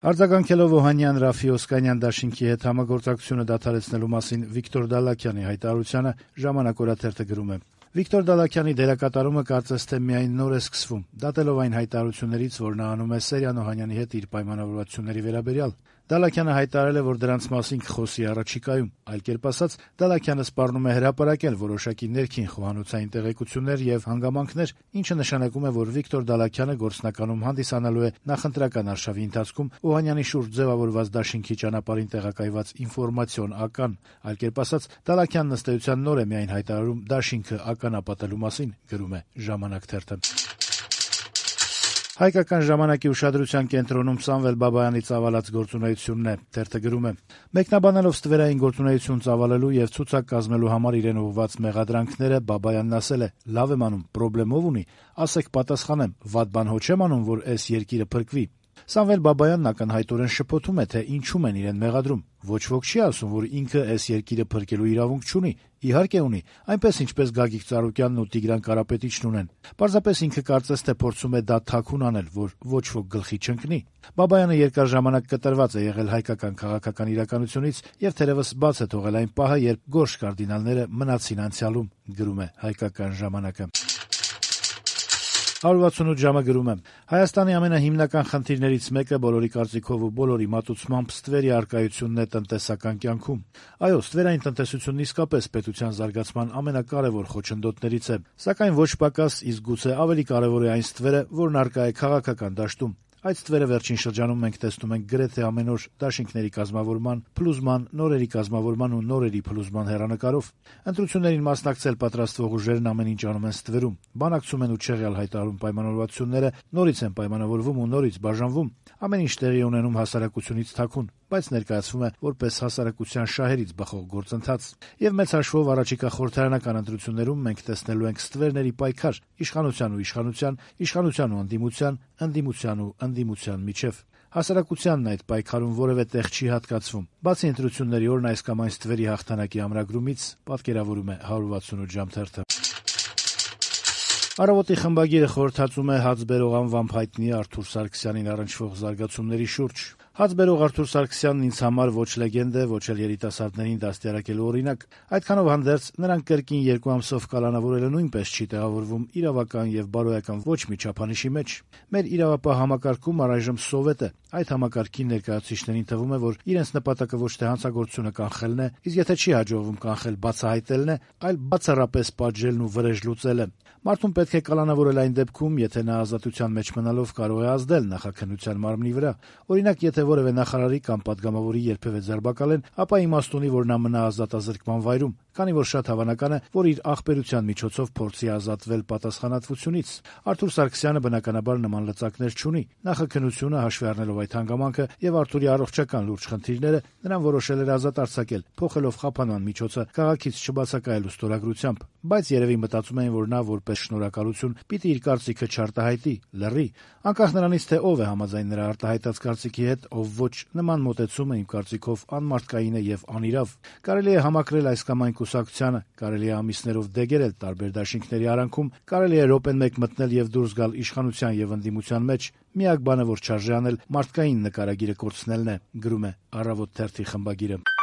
Արձագանքելով Օհանյան, Ռաֆի Օսկանյան դաշինքի հետ համագործակցությունը դադարեցնելու մասին Վիկտոր Դալաքյանի հայտարարությանը «Ժամանակ» օրաթերթը գրում է. - Վիկտոր Դալաքյանի դերակատարումը կարծես թե միայն նոր է սկսվում, դատելով այն հայտարարություններից, որ նա անում է Սերյան Օհանյանի հետ իր պայմանավորվածությունների վերաբերյալ: Դալաքյանը հայտարարել է, որ դրանց մասին կխոսի առաջիկայում: Այլ կերպ ասած, Դալաքյանը սպառնում է հրապարակել որոշակի ներքին խոհանոցային տեղեկություններ եւ հանգամանքներ, ինչը նշանակում է, որ Վիկտոր Դալաքյանը գործնականում հանդիսանալու է նախընտրական արշավի ընթացքում Օհանյանի շուրջ ձեւավորված դաշինքի ճանապարհին տեղակայված ինֆորմացիոն ական: Այլ կերպ ասած, Դալաքյանն ըստ էության նոր է միայն հայտարարում դաշինքը ականապատելու մասին, գրում է «Ժամանակ» թերթը: Հայկական ժամանակի ուշադրության կենտրոնում Սամվել Բաբայանի ծավալած գործունեությունն է: Թերթը գրում է. - Մեկնաբանելով ստվերային գործունեություն ծավալելու եւ ցուցակ կազմելու համար իրեն ուղղված մեղադրանքները, Բաբայանն ասել է. «Լավ եմ անում, պրոբլեմով ունի, ասեք պատասխանեմ, վատ բան հո չեմ անում, որ էս երկիրը փրկվի»: Սամվել Բաբայանն ակնհայտորեն շփոթում է, թե ինչում են իրեն մեղադրում: Ոչ ոք չի ասում, որ ինքը էս երկիրը փրկելու իրավունք չունի: Իհարկե ունի, այնպես ինչպես Գագիկ Ծառուկյանն ու Տիգրան Կարապետիչն ունեն: Պարզապես ինքը կարծես թե փորձում է դա թաքուն անել, որ ոչ ոք գլխի չընկնի: Բաբայանը երկար ժամանակ կտրված է եղել հայկական քաղաքական իրականությունից եւ թերեւս բաց է թողել այն պահը, երբ գորշ կարդինալները մնացին անցյալում, գրում է «Հայկական ժամանակ»-ը: 168 ժամը գրում է. - Հայաստանի ամենահիմնական խնդիրներից մեկը բոլորի կարծիքով ու բոլորի մատուցմամբ ստվերի առկայությունն է տնտեսական կյանքում: Այո, ստվերային տնտեսությունն իսկապես պետության զարգացման ամենակարեւոր խոչընդոտներից է: Սակայն ոչ պակաս, իսկ գուցե ավելի կարեւոր է այն ստվերը, որն առկա է քաղաքական դաշտում: Այդ ստվերը վերջին շրջանում մենք տեսնում ենք գրեթե ամեն օր դաշինքների կազմավորման, փլուզման, նորերի կազմավորման ու նորերի փլուզման հեռանկարով: Ընտրություններին մասնակցել պատրաստվող ուժերն ամեն ինչ անում են ստվերում, բանակցում են ու չեղյալ հայտարարում պայմանավորվածությունները, նորից են պայմանավորվում ու նորից բաժանվում: Ամեն ինչ տեղի է ունենում հասարակությունից թաքուն, բայց ներկայացվում է որպես հասարակության շահերից բխող գործընթաց: Եվ մեծ հաշվով առաջիկա խորհրդարանական ընտրություններում մենք տեսնելու ենք ստվերների պայքար իշխանության ու իշխանության, իշխանության ու ընդդիմության, ընդդիմության ու ընդդիմության միջեւ: Հասարակությանն այդ պայքարում որեւէ տեղ չի հատկացվում: Բացի ընտրությունների օրն այս կամ այն ստվերի հաղթանակի ամրագրումից, պատկերավորում է 168 ժամ թերթը: «Առավոտ»-ի խմբագիրը խորհրդածում է հաց բերող անվամբ հայտնի Արթուր Սարգսյանին առնչվող զարգացումների շուրջ. - «Հաց բերող Արթուր Սարգսյանն ինձ համար ոչ լեգենդ է, ոչ էլ երիտասարդներին դաստիարակելու օրինակ: Այդքանով հանդերձ, նրան կրկին 2 ամսով կալանավորելը նույնպես չի տեղավորվում իրավական եւ բարոյական ոչ մի չափանիշի մեջ: Մեր իրավապահ համակարգում առայժմ Սովետ է: Այդ համակարգի ներկայացուցիչներին թվում է, որ իրենց նպատակը ոչ թե հանցագործությունը կանխելն է, իսկ եթե չի հաջողվում կանխել, բացահայտելն է, այլ բացառապես պատժելն ու վրեժ լուծելը: Մարդուն պետք է կալանավորել այն դեպքում, եթե նա ազատության մեջ մնալով կարող է ազդել նախաքննության մարմնի վրա: Օրինակ, եթե որեւէ նախարարի կամ պատգամավորի երբեւէ ձերբակալեն, ապա իմաստ ունի, որ նա մնա ազատազրկման վայրում, քանի որ շատ հավանական է, որ իր ախպերության միջոցով փորձի ազատվել պատասխանատվությունից: Արթուր Սարգսյանը բնականաբար նման լծակներ չունի: Նախաքննությունը, հաշվի առնելով այդ հանգամանքը եւ Արթուրի առողջական լուրջ խնդիրները, նրան որոշել էր ազատ արձակել, փոխելով խափանման միջոցը քաղաքից չբացակայելու ստորագրությամբ: Բայց երեւի մտածում էին, որ նա, որպես շնորհակալություն, պիտի իր կարծիքը չարտահայտի, լռի: Անկախ նրանից, թե ով է համաձայն նրա արտահայտած կարծիքի հետ, ով ոչ, նման մոտեցումը, իմ կարծիքով, անմարդկային է եւ անիրավ: Կարելի է համակրել այս կամ այն կուսակցությանը, կարելի է ամիսներով դեգերել տարբեր դաշինքների արանքում, կարելի է րոպեն մեկ մտնել եւ դուրս գալ իշխանության եւ ընդդիմության մեջ: Միակ բանը, որ չարժե անել, մարդկային նկարագիրը կորցնելն է», - գրում է «Առավոտ» թերթի խմբագիրը: